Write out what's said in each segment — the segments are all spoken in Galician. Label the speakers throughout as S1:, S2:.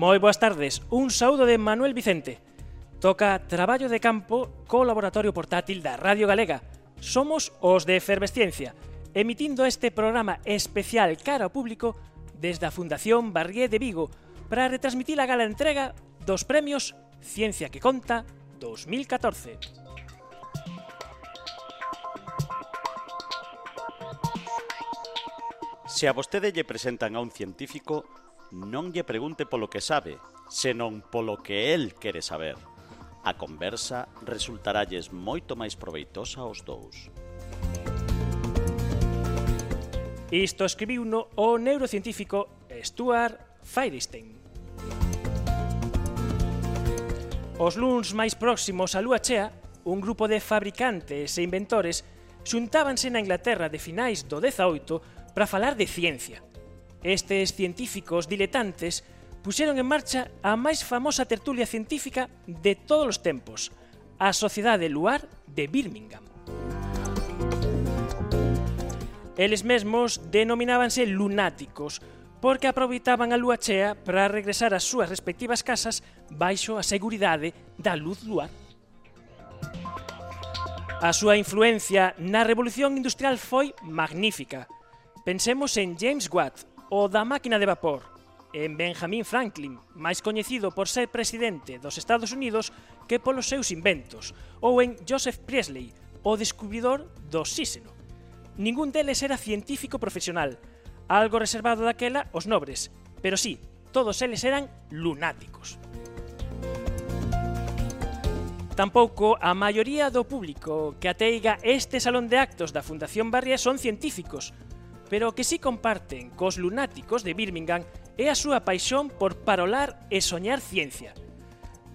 S1: Moi boas tardes, un saúdo de Manuel Vicente. Toca traballo de campo co laboratorio portátil da Radio Galega. Somos os de Efervesciencia, emitindo este programa especial cara ao público desde a Fundación Barrié de Vigo para retransmitir a gala entrega dos premios Ciencia que Conta 2014.
S2: Se a vostede lle presentan a un científico, non lle pregunte polo que sabe, senón polo que el quere saber. A conversa resultaralles moito máis proveitosa aos dous.
S1: Isto escribiuno o neurocientífico Stuart Firestein. Os luns máis próximos á lúa chea, un grupo de fabricantes e inventores xuntábanse na Inglaterra de finais do 18 para falar de ciencia. Estes científicos diletantes puxeron en marcha a máis famosa tertulia científica de todos os tempos, a Sociedade Luar de Birmingham. Eles mesmos denominábanse lunáticos, porque aproveitaban a lúa chea para regresar ás súas respectivas casas baixo a seguridade da luz luar. A súa influencia na revolución industrial foi magnífica. Pensemos en James Watt, o da máquina de vapor, en Benjamin Franklin, máis coñecido por ser presidente dos Estados Unidos que polos seus inventos, ou en Joseph Priestley, o descubridor do oxíxeno. Ningún deles era científico profesional, algo reservado daquela aos nobres, pero sí, todos eles eran lunáticos. Tampouco a maioría do público que ateiga este salón de actos da Fundación Barrié son científicos, pero que si comparten cos lunáticos de Birmingham é a súa paixón por parolar e soñar ciencia.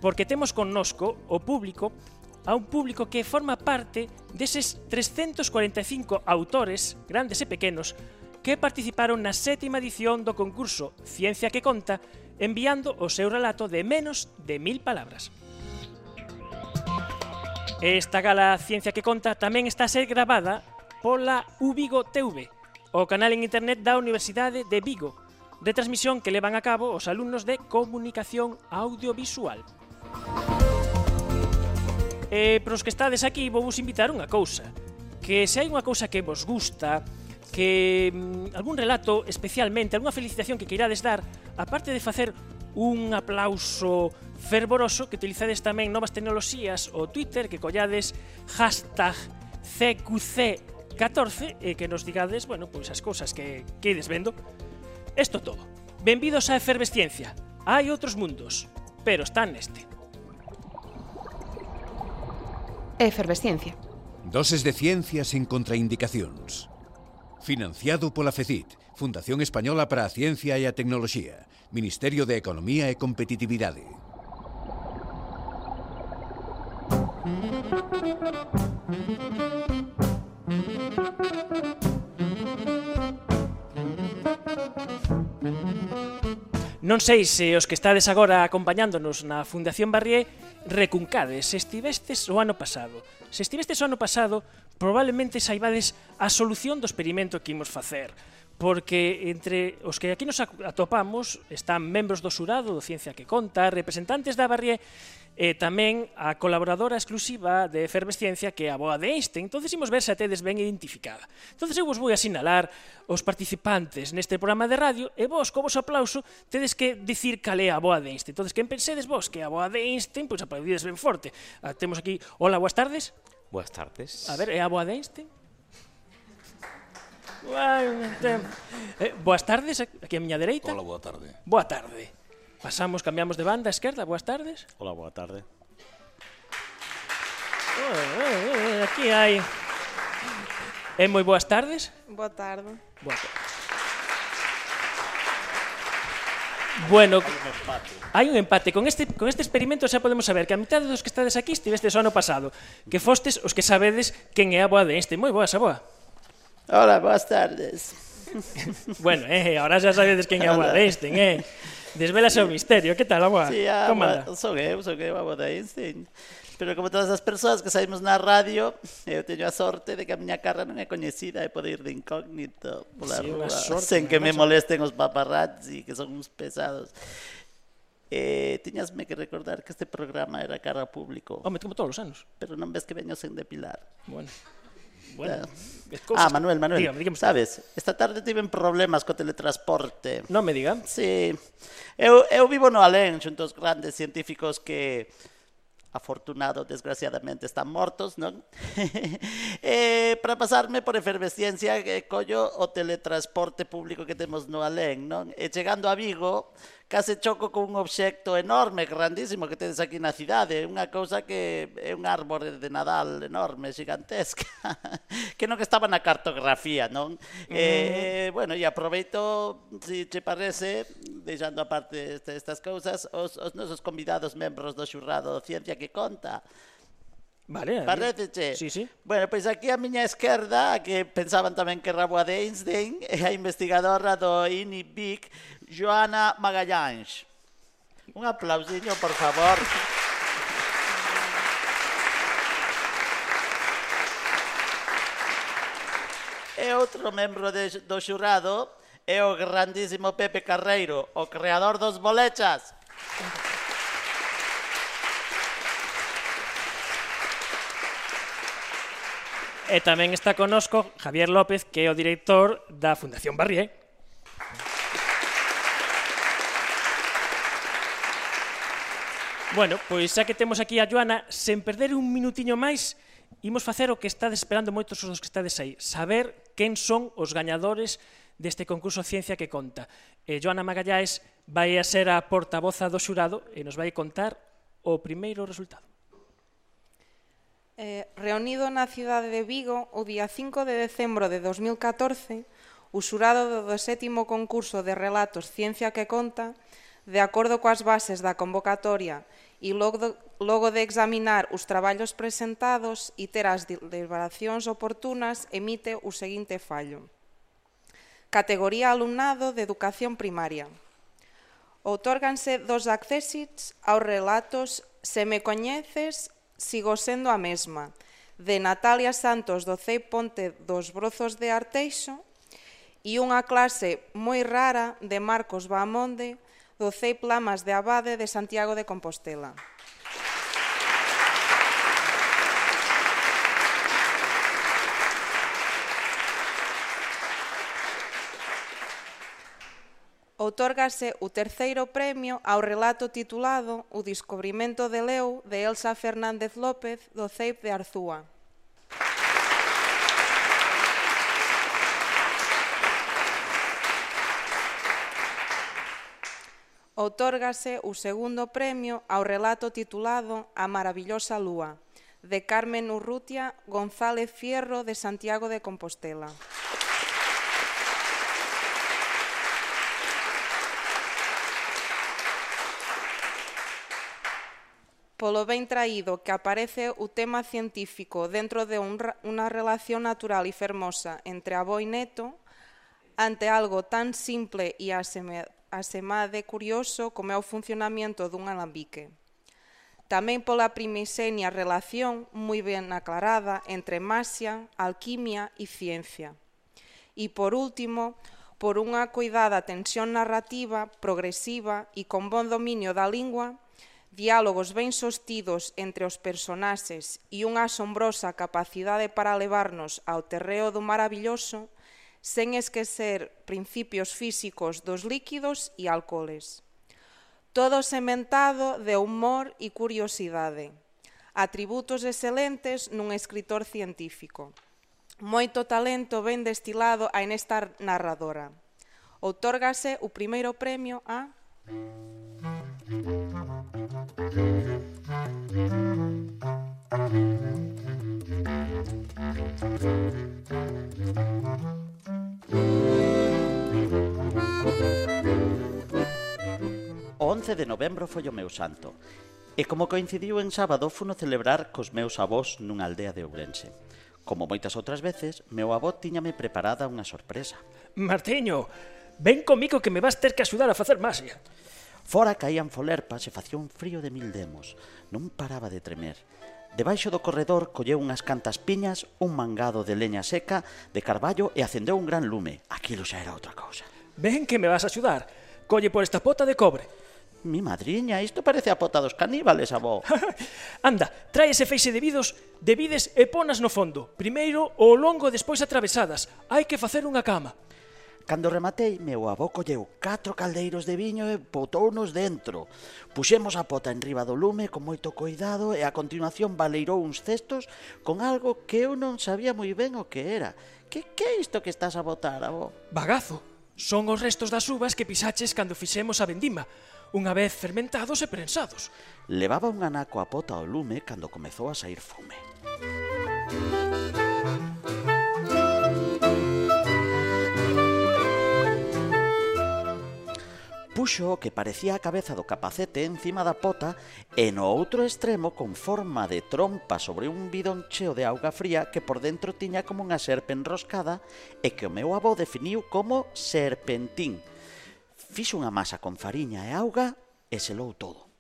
S1: Porque temos connosco o público, a un público que forma parte deses 345 autores, grandes e pequenos, que participaron na 7ª edición do concurso Ciencia que Conta, enviando o seu relato de menos de 1000 palabras. Esta gala Ciencia que Conta tamén está a ser gravada pola Uvigo TV, o canal en internet da Universidade de Vigo, retransmisión que levan a cabo os alumnos de Comunicación Audiovisual. E pros que estades aquí vou vos invitar unha cousa, que se hai unha cousa que vos gusta, que algún relato especialmente, algunha felicitación que queirades dar, aparte de facer un aplauso fervoroso, que utilizades tamén novas tecnoloxías o Twitter, que collades #CQC14 e que nos digades, bueno, pois as cousas que ides vendo. Isto todo. Benvidos á Efervesciencia. Hai outros mundos, pero están neste.
S3: Efervesciencia.
S4: Doses de ciencia sen contraindicacións. Financiado pola FECIT, Fundación Española para a Ciencia e a Tecnoloxía, Ministerio de Economía e Competitividade.
S1: Non sei se os que estades agora acompañándonos na Fundación Barrié recuncades se estivestes o ano pasado. Se estivestes o ano pasado, probablemente saibades a solución do experimento que imos facer, porque entre os que aquí nos atopamos están membros do xurado do Ciencia que Conta, representantes da Barrié e tamén a colaboradora exclusiva de Efervesciencia, que é a boa de Einstein. Entonces imos ver se a tedes ben identificada. Entonces eu vos vou asinalar os participantes neste programa de radio e vos, co vos aplauso, tedes que dicir cal é a boa de Einstein. Entonces, quen pensedes vos que é a boa de Einstein, pois aplaudides ben forte. Temos aquí, hola, boas tardes.
S5: Boas tardes.
S1: A ver, é a boa de Einstein? Boas tardes, aquí a miña dereita.
S6: Hola, boa tarde.
S1: Boa tarde. Pasamos, cambiamos de banda a esquerda, boas tardes.
S2: Hola, boa tarde.
S1: Aquí hai... moi boas tardes.
S7: Boa tarde.
S1: Boa tarde. Bueno, hai un empate. Con este experimento xa podemos saber que a mitad dos que estades aquí estivestes o ano pasado, que fostes os que sabedes quen é a boa de Einstein. Moi boa esa boa.
S8: Hola, boas tardes.
S1: Bueno, ahora xa sabedes quen é a boa de Einstein, Desvelase o misterio. Que tal, a boa?
S8: Sí,
S1: como anda?
S8: Son eu a boa de Einstein. Pero como todas as persoas que saímos na radio, eu teño a sorte de que a miña cara non é coñecida e pode ir de incógnito pola rúa, sen que me molesten os paparazzi, que son uns pesados. Tiñasme que recordar que este programa era cara ao público.
S1: Home, como todos os anos.
S8: Pero non ves que veño sen depilar.
S1: Bueno,
S8: Manuel,
S1: dígame.
S8: sabes, esta tarde tiven problemas co teletransporte.
S1: Non me diga.
S8: Sí, eu vivo no alén xunto aos grandes científicos que, afortunado, desgraciadamente, están mortos, non? Para pasarme por efervesciencia, collo o teletransporte público que temos no alén, non? E chegando a Vigo, case choco con un obxecto enorme, grandísimo, que tedes aquí na cidade, unha cousa que é un árbore de Nadal enorme, gigantesca, que non estaba na cartografía, non? Bueno, e aproveito, se che parece, deixando aparte estas cousas, os nosos convidados membros do xurrado Ciencia que Conta.
S1: Vale.
S8: Paréceche?
S1: Sí.
S8: Bueno, pois aquí a miña esquerda, a que pensaban tamén que era boa de Einstein, é a investigadora do INIBIC, Joana Magalhães. Un aplausiño, por favor. E outro membro do xurado é o grandísimo Pepe Carreiro, o creador dos bolechas.
S1: E tamén está conosco Javier López, que é o director da Fundación Barrié. Bueno, pois xa que temos aquí a Joana, sen perder un minutiño máis, imos facer o que estades esperando moitos os que estades aí, saber quen son os gañadores deste concurso Ciencia que Conta. Joana Magalhães vai a ser a portavoza do xurado e nos vai contar o primeiro resultado.
S5: Reunido na cidade de Vigo o día 5 de decembro de 2014, o xurado do 7º concurso de relatos Ciencia que Conta, de acordo coas bases da convocatoria e logo de examinar os traballos presentados e ter as deliberacións oportunas, emite o seguinte fallo. Categoría alumnado de educación primaria. Outórganse 2 accésits aos relatos Se me coñeces, sigo sendo a mesma, de Natalia Santos do CEI Ponte dos Brozos de Arteixo, e unha clase moi rara de Marcos Baamonde do CEI Plamas de Abade de Santiago de Compostela. Outórgase o 3º premio ao relato titulado O descubrimento de Leo, de Elsa Fernández López, do CEIP de Arzúa. Outórgase o 2º premio ao relato titulado A maravillosa lúa, de Carmen Urrutia González Fierro, de Santiago de Compostela. Polo ben traído que aparece o tema científico dentro de unha relación natural e fermosa entre avó e neto, ante algo tan simple e asemade curioso como é o funcionamento dun alambique. Tamén pola primixenia relación moi ben aclarada entre maxia, alquimia e ciencia. E por último, por unha coidada tensión narrativa, progresiva e con bon dominio da lingua, diálogos ben sostidos entre os personaxes e unha asombrosa capacidade para levarnos ao terreo do maravilloso, sen esquecer principios físicos dos líquidos e alcoholes. Todo sementado de humor e curiosidade, atributos excelentes nun escritor científico. Moito talento ben destilado a nesta narradora. Outórgase o primeiro premio a...
S8: 11 de novembro foi o meu santo, e como coincidiu en sábado, funo celebrar cos meus avós nunha aldea de Ourense. Como moitas outras veces, meu avó tiñame preparada unha sorpresa.
S1: Martiño, ven comigo que me vas ter que axudar a facer maxia.
S8: Fora caían folerpas e facía un frío de 1000 demos. Non paraba de tremer. Debaixo do corredor colleu unhas cantas piñas, un mangado de leña seca, de carballo e acendeu un gran lume. Aquilo xa era outra cousa.
S1: Ven que me vas a axudar. Colle por esta pota de cobre.
S8: Mi madriña, isto parece a pota dos caníbales, avó.
S1: Anda, trae ese feixe de vides e ponas no fondo. Primeiro o longo e despois atravesadas. Hai que facer unha cama.
S8: Cando rematei, meu avó colleu 4 caldeiros de viño e botounos dentro. Puxemos a pota en riba do lume con moito cuidado e a continuación baleirou uns cestos con algo que eu non sabía moi ben o que era. Que é isto que estás a botar, avó?
S1: Bagazo. Son os restos das uvas que pisaches cando fixemos a vendima, unha vez fermentados e prensados.
S8: Levaba un anaco a pota ao lume cando comezou a saír fume. Puxo o que parecía a cabeza do capacete encima da pota e no outro extremo con forma de trompa sobre un bidón cheo de auga fría que por dentro tiña como unha serpe enroscada e que o meu avó definiu como serpentín. Fixo unha masa con fariña e auga e selou todo.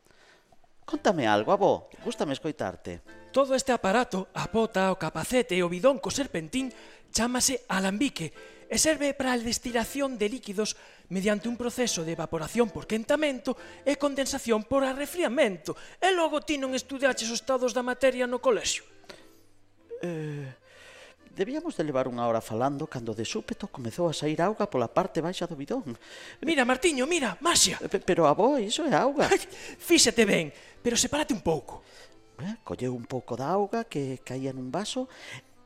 S8: Contame algo, avó, gústame escoitarte.
S1: Todo este aparato, a pota, o capacete e o bidón co serpentín, chámase alambique e serve para a destilación de líquidos mediante un proceso de evaporación por quentamento e condensación por arrefriamento. E logo ti non estudiaches os estados da materia no colexio.
S8: Debíamos de levar unha hora falando cando de súpeto comezou a saír auga pola parte baixa do bidón.
S1: Mira, Martiño, mira, maxia.
S8: Pero, avó, iso é auga.
S1: Fíxate ben, pero sepárate un pouco.
S8: Colleu un pouco da auga que caía nun vaso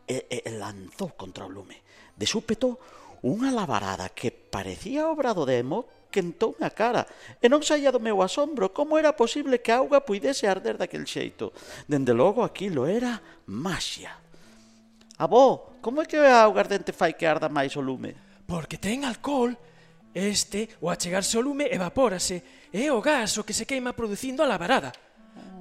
S8: e lanzou contra o lume. De súpeto, unha lavarada que parecía obra do demo quentou na cara e non saía do meu asombro como era posible que a auga puidese arder daquel xeito. Dende logo aquilo era maxia. Avó, como é que a auga ardente fai que arda máis o lume?
S1: Porque ten alcohol. O achegarse ao lume, evapórase e é o gas o que se queima producindo a lavarada.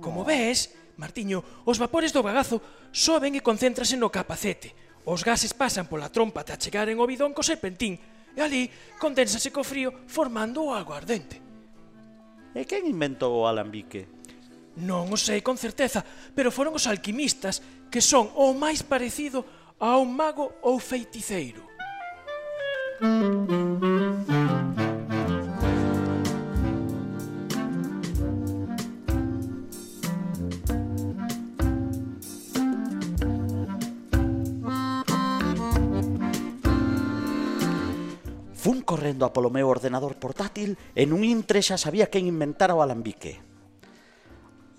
S1: Como ves, Martiño, os vapores do bagazo soben e concéntrase no capacete. Os gases pasan pola trompa ata chegaren ao bidón co serpentín e ali condénsase co frío formando o aguardente.
S8: E quen inventou o alambique?
S1: Non o sei con certeza, pero foron os alquimistas que son o máis parecido a un mago ou feiticeiro.
S8: Fun correndo a polo meu ordenador portátil e nun intre xa sabía quen inventara o alambique.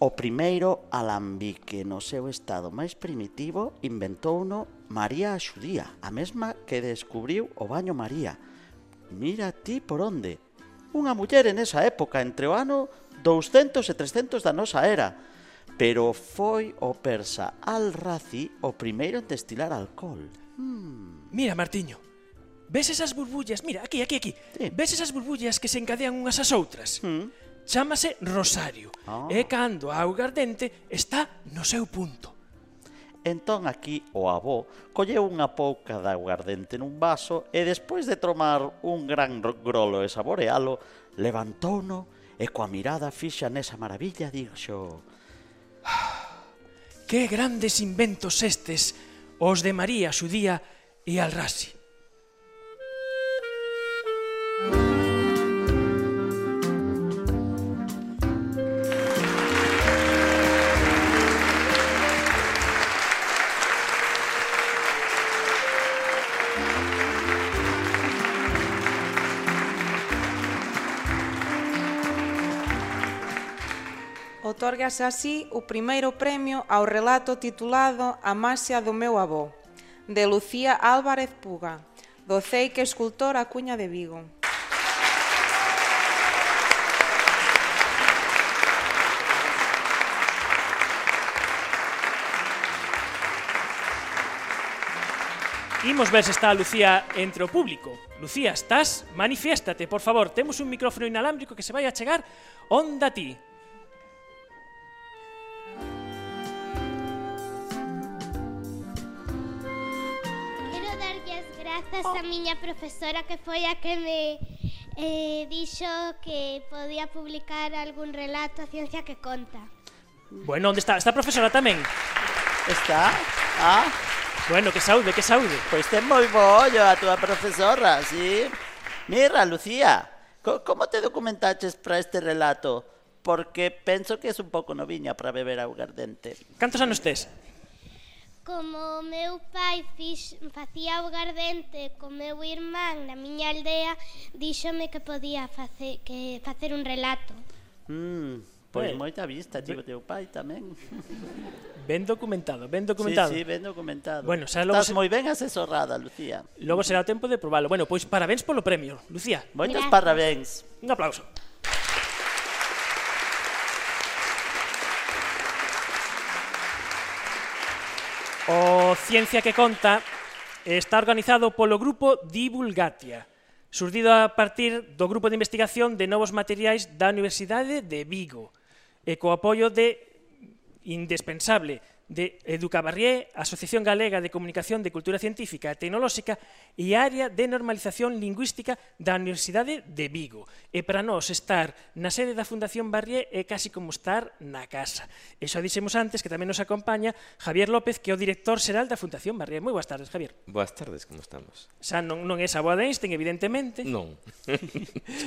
S8: O primeiro alambique no seu estado máis primitivo inventouno María a Xudía, a mesma que descubriu o baño María. Mira ti por onde. Unha muller en esa época, entre o ano 200 e 300 da nosa era. Pero foi o persa Al-Razi o primeiro en destilar alcohol.
S1: Mira, Martiño, ves esas burbullas? Mira, aquí.
S8: Sí.
S1: Ves esas burbullas que se encadean unhas ás outras? Chámase rosario. E cando a auga ardente está no seu punto.
S8: Entón aquí o avó colleu unha pouca de aguardente nun vaso e despois de tomar un gran grolo e saborealo, levantouno e coa mirada fixa nesa maravilla dixo:
S1: Que grandes inventos estes, os de María Xudía e Al-Razi.
S5: Otórgase así o primeiro premio ao relato titulado A maxia do meu avó, de Lucía Álvarez Puga, do ceique escultor A Cuña de Vigo.
S1: Imos ver se está a Lucía entre o público. Lucía, estás? Manifiéstate, por favor. Temos un micrófono inalámbrico que se vai a chegar onda a ti.
S6: Grazas a miña profesora que foi a que me dixo que podía publicar algún relato a ciencia que conta.
S1: Bueno, onde está? Está a profesora tamén?
S8: Está?
S1: Bueno, que saúde, que saúde.
S8: Pois ten moi bo ollo a túa profesora, sí? Mira, Lucía, Como te documentaches para este relato? Porque penso que es un pouco noviña para beber augardente.
S1: Cantos anos tes?
S6: Como meu pai facía augardente co meu irmán na miña aldea, díxome que podía facer un relato.
S8: Pois moita vista, tivo teu pai tamén.
S1: Ben documentado, ben documentado.
S8: Sí, ben documentado.
S1: Bueno, logo
S8: Estás moi ben asesorada, Lucía.
S1: Logo será o tempo de probalo. Bueno, pois parabéns polo premio, Lucía.
S8: Moitos
S6: Gracias.
S8: parabéns.
S1: Un aplauso. O Ciencia que Conta está organizado polo grupo Divulgatia, surdido a partir do grupo de investigación de novos materiais da Universidade de Vigo, e co apoio indispensable de Educabarrié, Asociación Galega de Comunicación de Cultura Científica e Tecnolóxica e a Área de Normalización Lingüística da Universidade de Vigo. E para nós estar na sede da Fundación Barrié é casi como estar na casa. E xa dixemos antes que tamén nos acompaña Javier López, que é o director xeral da Fundación Barrié. Moi boas tardes, Javier.
S7: Boas tardes, como estamos?
S1: Xa non é a boa de Einstein, evidentemente.
S7: Non, é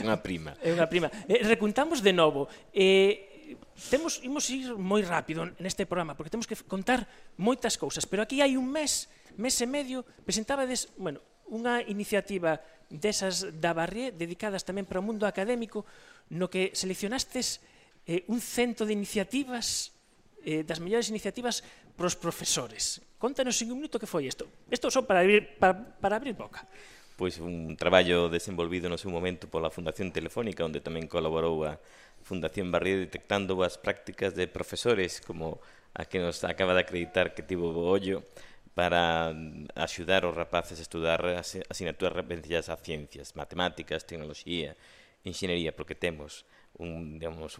S7: unha prima.
S1: É unha prima. Recuntamos de novo. Imos ir moi rápido neste programa porque temos que contar moitas cousas, pero aquí hai un mes e medio presentabades, unha iniciativa desas da Barrié dedicadas tamén para o mundo académico, no que seleccionastes un cento de iniciativas, das mellores iniciativas para os profesores. Contanos en un minuto que foi isto. Isto só para abrir boca.
S7: Pois un traballo desenvolvido no seu momento pola Fundación Telefónica, onde tamén colaborou a Fundación Barrié detectando as prácticas de profesores como a que nos acaba de acreditar que tivo o ollo para axudar os rapaces a estudar asignaturas referencias a ciencias, matemáticas, tecnoloxía, enxeñería, porque temos un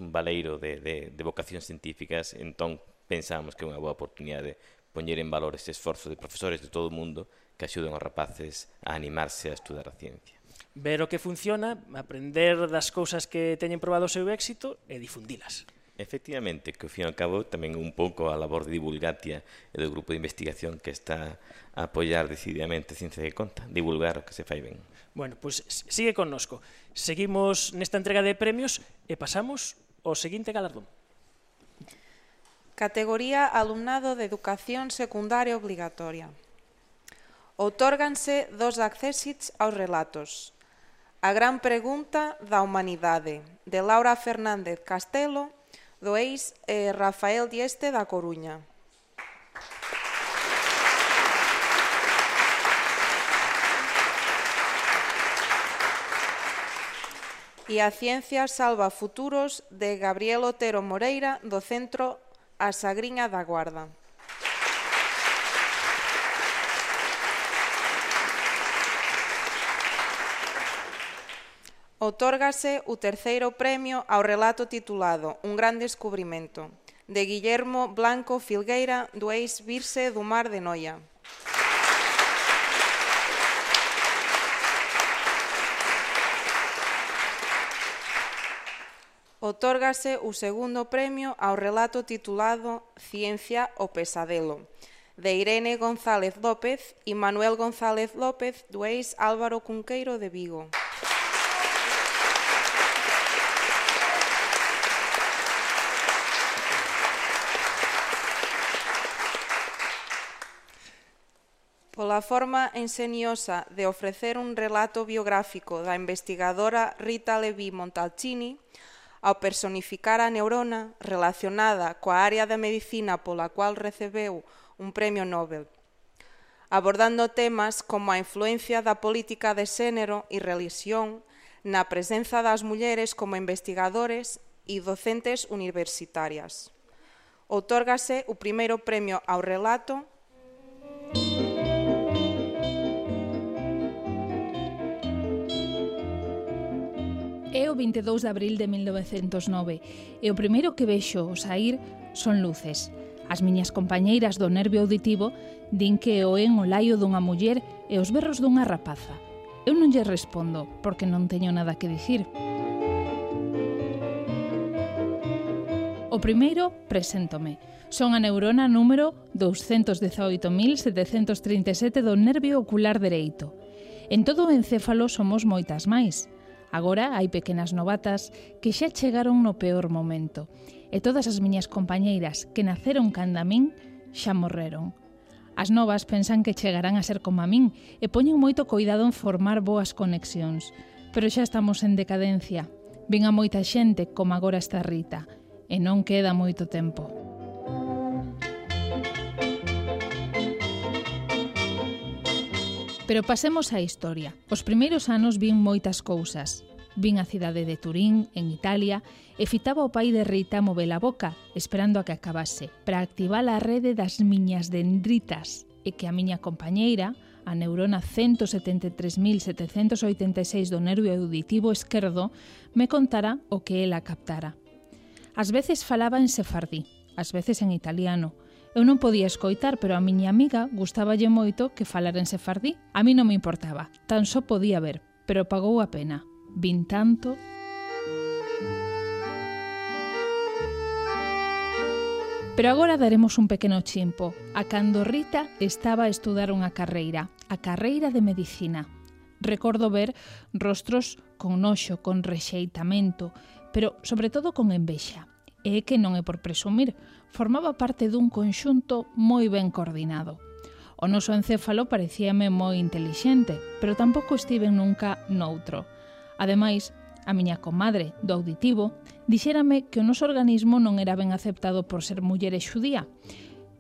S7: baleiro de vocacións científicas, entón pensamos que é unha boa oportunidade poñer en valor ese esforzo de profesores de todo o mundo que axuden os rapaces a animarse a estudar a ciencia.
S1: Ver o que funciona, aprender das cousas que teñen probado o seu éxito e difundilas.
S7: Efectivamente, que ao fin e ao cabo tamén un pouco a labor de Divulgatia e do grupo de investigación que está a apoiar decididamente a Ciencia que Conta, divulgar o que se fai ben.
S1: Bueno, pois sigue connosco. Seguimos nesta entrega de premios e pasamos ao seguinte galardón.
S5: Categoría Alumnado de Educación Secundaria Obligatoria. Outórganse 2 accésits aos relatos. A gran pregunta da humanidade, de Laura Fernández Castelo, do ex Rafael Dieste da Coruña. E a ciencia salva futuros, de Gabriel Otero Moreira, do Centro A Sagriña da Guarda. Outórgase o terceiro premio ao relato titulado Un gran descubrimento, de Guillermo Blanco Filgueira, do ex Virse do Mar de Noia. Outórgase o segundo premio ao relato titulado Ciencia o pesadelo, de Irene González López e Manuel González López, do ex Álvaro Cunqueiro de Vigo. Pola forma enxeniosa de ofrecer un relato biográfico da investigadora Rita Levi Montalcini, ao personificar a neurona relacionada coa área da medicina pola cual recebeu un premio Nobel, abordando temas como a influencia da política de xénero e religión na presenza das mulleres como investigadores e docentes universitarias. Outórgase o primeiro premio ao relato
S9: É o 22 de abril de 1909 e o primeiro que vexo ao saír son luces. As miñas compañeiras do nervio auditivo din que oen o laio dunha muller e os berros dunha rapaza. Eu non lle respondo porque non teño nada que dicir. O primeiro, preséntome. Son a neurona número 218.737 do nervio ocular dereito. En todo o encéfalo somos moitas máis. Agora hai pequenas novatas que xa chegaron no peor momento, e todas as miñas compañeiras que naceron canda min xa morreron. As novas pensan que chegarán a ser como a min e poñen moito cuidado en formar boas conexións, pero xa estamos en decadencia. Vin a moita xente como agora está Rita, e non queda moito tempo. Pero pasemos á historia. Os primeiros anos vin moitas cousas. Vin a cidade de Turín, en Italia, e fitaba o pai de Rita mover a boca, esperando a que acabase, para activar a rede das miñas dendritas, e que a miña compañeira, a neurona 173.786 do nervio auditivo esquerdo, me contara o que ela captara. Ás veces falaba en sefardí, ás veces en italiano. Eu non podía escoitar, pero a miña amiga gustaballe moito que falara en sefardí. A mí non me importaba, tan só podía ver, pero pagou a pena. Vin tanto... Pero agora daremos un pequeno chimpo a cando Rita estaba a estudar unha carreira, a carreira de medicina. Recordo ver rostros con noxo, con rexeitamento, pero sobre todo con envexa. E que non é por presumir, formaba parte dun conxunto moi ben coordinado. O noso encéfalo parecíame moi intelixente, pero tampouco estiven nunca noutro. Ademais, a miña comadre do auditivo dixérame que o noso organismo non era ben aceptado por ser muller e xudía.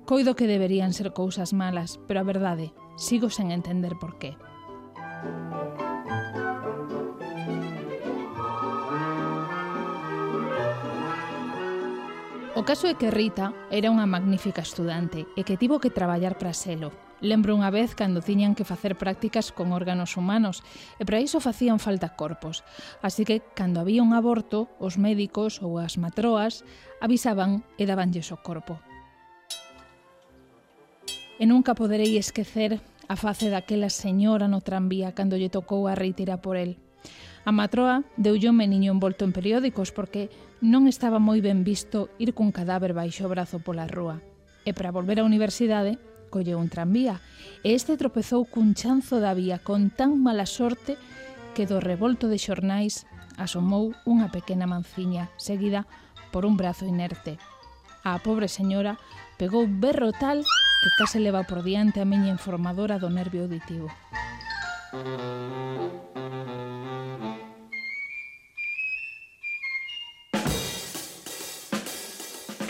S9: Coido que deberían ser cousas malas, pero a verdade, sigo sen entender por qué. O caso é que Rita era unha magnífica estudante e que tivo que traballar para selo. Lembro unha vez cando tiñan que facer prácticas con órganos humanos e para iso facían falta corpos. Así que, cando había un aborto, os médicos ou as matroas avisaban e dabanlles o corpo. E nunca poderei esquecer a face daquela señora no tranvía cando lle tocou a Rita ir a por el. A matroa deulle un meniño envolto en periódicos porque non estaba moi ben visto ir cun cadáver baixo o brazo pola rúa. E para volver á universidade, colleu un tranvía e este tropezou cun chanzo da vía con tan mala sorte que do revolto de xornais asomou unha pequena manciña seguida por un brazo inerte. A pobre señora pegou berro tal que case leva por diante a miña informadora do nervio auditivo.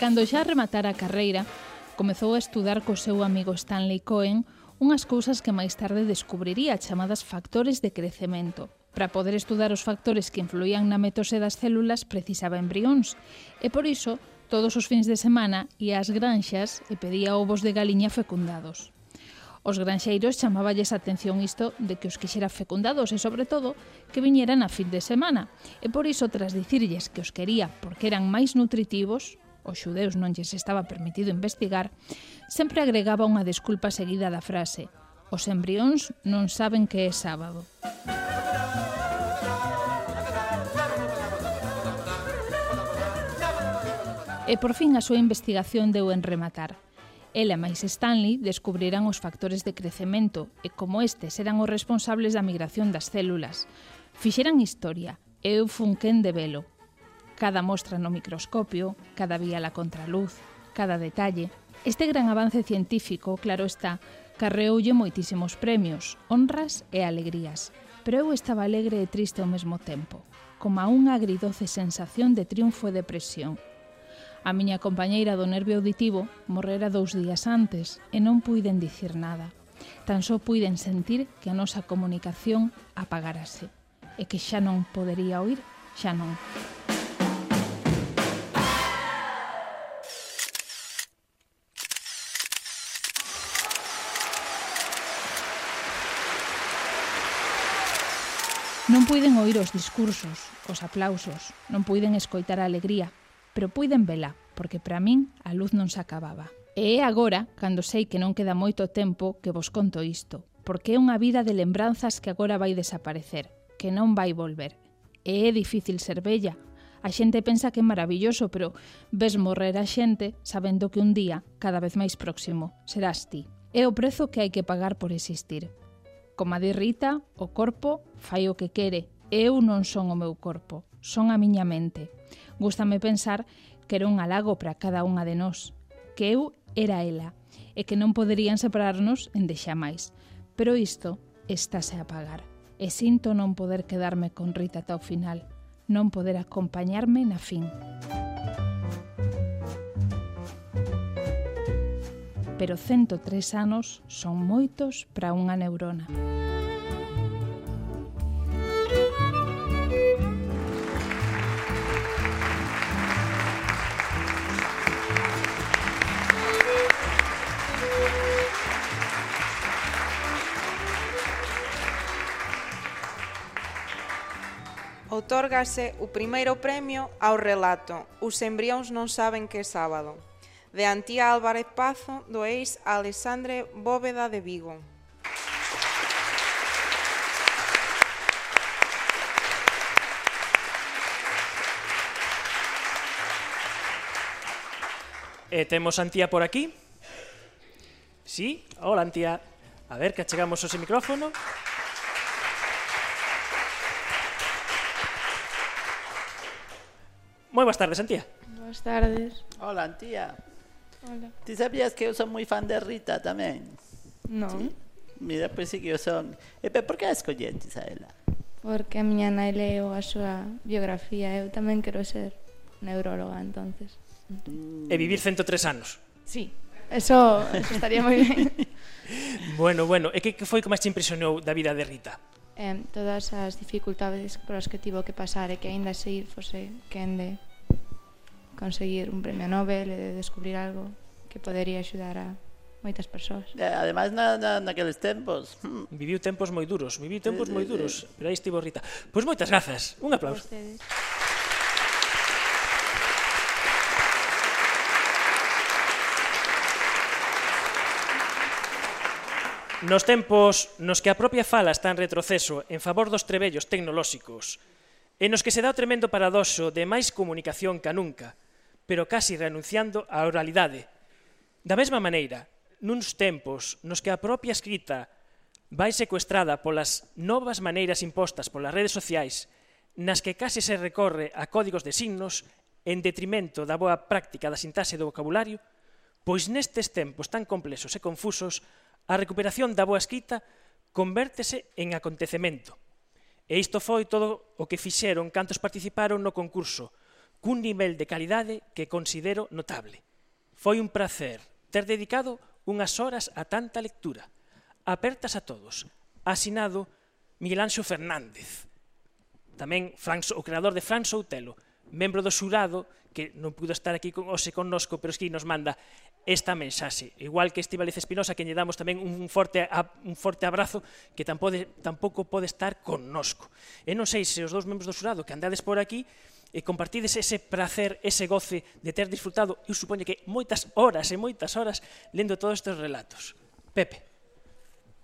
S9: Cando xa rematara a carreira, comezou a estudar co seu amigo Stanley Cohen unhas cousas que máis tarde descubriría chamadas factores de crecemento. Para poder estudar os factores que influían na mitose das células precisaba embrións e por iso todos os fins de semana ia ás granxas e pedía ovos de galiña fecundados. Os granxeiros chamaballes a atención isto de que os quixera fecundados e, sobre todo, que viñeran a fin de semana. E por iso, tras dicirlles que os quería porque eran máis nutritivos, os xudeus non lles estaba permitido investigar, sempre agregaba unha desculpa seguida da frase: os embrións non saben que é sábado. E por fin a súa investigación deu en rematar. Ela máis Stanley descubriran os factores de crecemento e como estes eran os responsables da migración das células. Fixeran historia e eu fun quen de velo. Cada mostra no microscopio, cada vía a contraluz, cada detalle. Este gran avance científico, claro está, carreoulle moitísimos premios, honras e alegrías. Pero eu estaba alegre e triste ao mesmo tempo, como a unha agridoce sensación de triunfo e depresión. A miña compañeira do nervio auditivo morrera 2 días antes e non puiden dicir nada. Tan só puiden sentir que a nosa comunicación apagárase e que xa non podería oír, xa non. Non puiden oír os discursos, os aplausos, non puiden escoitar a alegría, pero puiden vela, porque para min a luz non se acababa. E é agora, cando sei que non queda moito tempo, que vos conto isto, porque é unha vida de lembranzas que agora vai desaparecer, que non vai volver. E é difícil ser bella. A xente pensa que é maravilloso, pero ves morrer a xente sabendo que un día, cada vez máis próximo, serás ti. É o prezo que hai que pagar por existir. Como a di Rita, o corpo fai o que quere Eu non son o meu corpo, son a miña mente. Gústame pensar que era un halago para cada unha de nós, que eu era ela, e que non poderían separarnos en deixamais. Pero isto estáse a apagar, e sinto non poder quedarme con Rita ata o final, non poder acompañarme na fin. Pero 103 anos son moitos para unha neurona.
S5: Outórgase o primeiro premio ao relato Os embrións non saben que é sábado, de Antía Álvarez Pazo, do ex Alexandre Bóveda de Vigo.
S1: Temos a Antía por aquí. Sí, hola Antía. A ver, que achegamos o micrófono. Moi boas tardes, Antía.
S10: Boas tardes.
S8: Hola, Antía.
S10: Hola.
S8: ¿Ti sabías que eu son moi fan de Rita tamén?
S10: Non,
S8: ¿Sí? Mira, pois sí que eu son. Pero por que a escollentes a ela?
S10: porque a miña nai leo a súa biografía. Eu tamén quero ser neuróloga, entonces.
S1: E vivir 103 anos.
S10: Sí, eso estaría moi ben.
S1: Bueno, e que foi que máis te impresionou da vida de Rita?
S10: Todas as dificultades polas que tivo que pasar e que aínda seguir fose quen de conseguir un premio Nobel e de descubrir algo que podería axudar a moitas persoas.
S8: Ademais, naqueles tempos.
S1: Viviu tempos moi duros, pero aí estivo Rita. Pois moitas grazas, un aplauso. Nos tempos nos que a propia fala está en retroceso en favor dos trebellos tecnolóxicos e nos que se dá o tremendo paradoxo de máis comunicación ca nunca, pero casi renunciando á oralidade. Da mesma maneira, nuns tempos nos que a propia escrita vai secuestrada polas novas maneiras impostas polas redes sociais, nas que case se recorre a códigos de signos en detrimento da boa práctica da sintaxe do vocabulario, pois nestes tempos tan complexos e confusos, a recuperación da boa escrita convértese en acontecemento. E isto foi todo o que fixeron cantos participaron no concurso, cun nivel de calidade que considero notable. Foi un placer ter dedicado unhas horas a tanta lectura. Apertas a todos. Asinado Miguel Anxo Fernández. Tamén o creador de Fran Soutelo, membro do xurado, que non pudo estar aquí hoxe connosco, pero que nos manda esta mensaxe. Igual que Estíbaliz Espinosa, que lle damos tamén un forte abrazo, que tampouco pode estar connosco. E non sei se os dous membros do xurado que andades por aquí e compartides ese placer, ese goce de ter disfrutado, eu supoño que moitas horas lendo todos estes relatos. Pepe.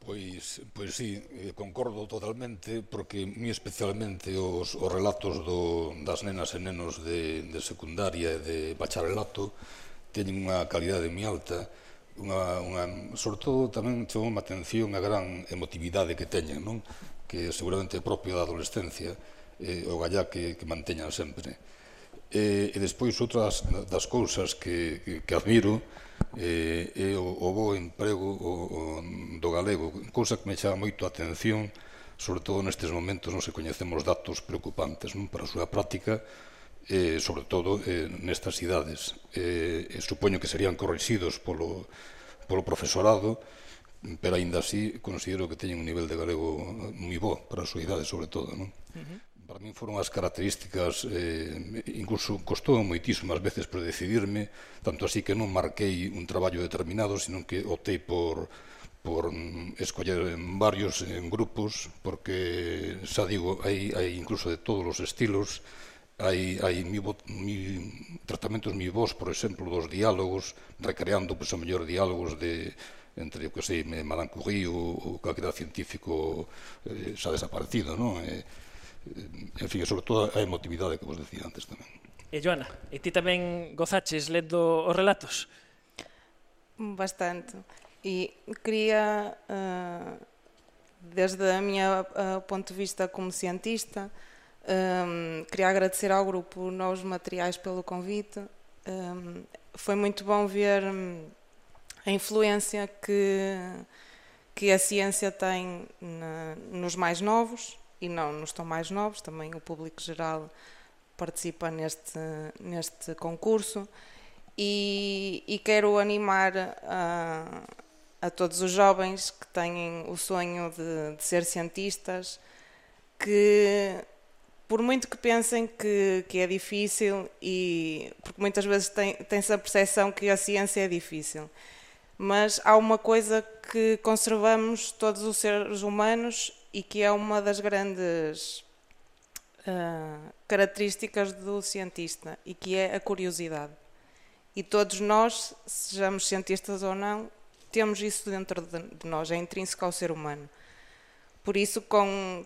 S11: Pois sí, concordo totalmente, porque moi especialmente os relatos das nenas e nenos de secundaria e de bacharelato teñen unha calidade moi alta, sobre todo tamén chamou a atención a gran emotividade que teñen, non? Que seguramente é propio da adolescencia, o gallá que manteñan sempre. E despois outras das cousas que admiro é o bo emprego do galego, cousa que me chama moito a atención, sobre todo nestes momentos nos que coñecemos datos preocupantes para a súa práctica, sobre todo nestas idades. Supoño que serían corrixidos polo profesorado, pero aínda así considero que teñen un nivel de galego moi bo para a súa idade, sobre todo. Para min foron as características, incluso costou moitísimas veces por decidirme, tanto así que non marquei un traballo determinado, sino que optei por escoller varios grupos, porque, xa digo, hai incluso de todos os estilos, hai tratamentos moi bons, por exemplo, dos diálogos, recreando, pois, o mellor diálogos entre, que sei, Madame Curie ou calquera científico xa desaparecido, non? En fin, sobre todo a emotividade que vos decía antes tamén.
S1: E Joana, e ti tamén gozaches lendo os relatos?
S5: Bastante. E quería Desde o meu ponto de vista como cientista, queria agradecer ao grupo Novos Materiais pelo convite. Foi muito bom ver a influência que a ciência tem nos mais novos e não nos tão mais novos, também o público geral participa neste concurso e quero animar a todos os jovens que têm o sonho de ser cientistas, que por muito que pensem que é difícil, e porque muitas vezes tem-se a percepção que a ciência é difícil, mas há uma coisa que conservamos todos os seres humanos e que é uma das grandes características do cientista, e que é a curiosidade. E todos nós, sejamos cientistas ou não, temos isso dentro de nós, é intrínseco ao ser humano. Por isso, com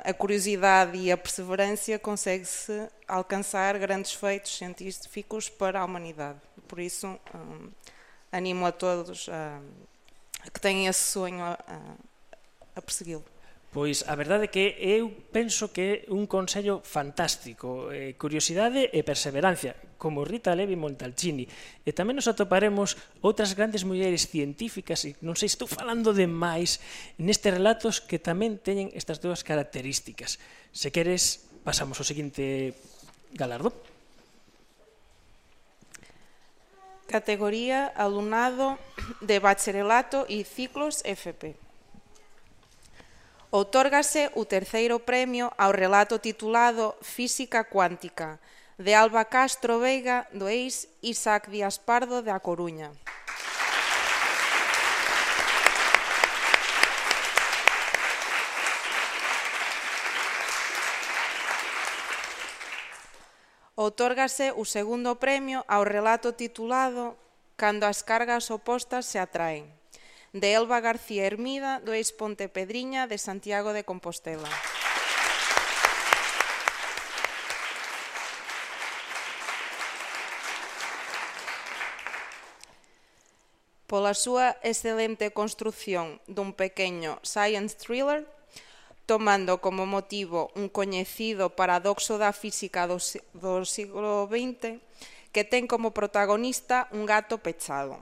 S5: a curiosidade e a perseverança, consegue-se alcançar grandes feitos científicos para a humanidade. Por isso, animo a todos a que tenham esse sonho a persegui-lo.
S1: Pois a verdade é que eu penso que é un consello fantástico, curiosidade e perseverancia, como Rita Levi Montalcini. E tamén nos atoparemos outras grandes mulleres científicas, e non sei, estou falando demais, nestes relatos que tamén teñen estas dúas características. Se queres, pasamos ao seguinte galardo.
S5: Categoría Alumnado de Bacharelato e Ciclos FP. Outórgase o terceiro premio ao relato titulado Física Cuántica, de Alba Castro Veiga, do ex Isaac Díaz Pardo, de A Coruña. Outórgase o segundo premio ao relato titulado Cando as cargas opostas se atraen, de Elba García Hermida, do ex Pontepedriña, de Santiago de Compostela. Pola súa excelente construción dun pequeno science thriller, tomando como motivo un coñecido paradoxo da física do siglo XX, que ten como protagonista un gato pechado.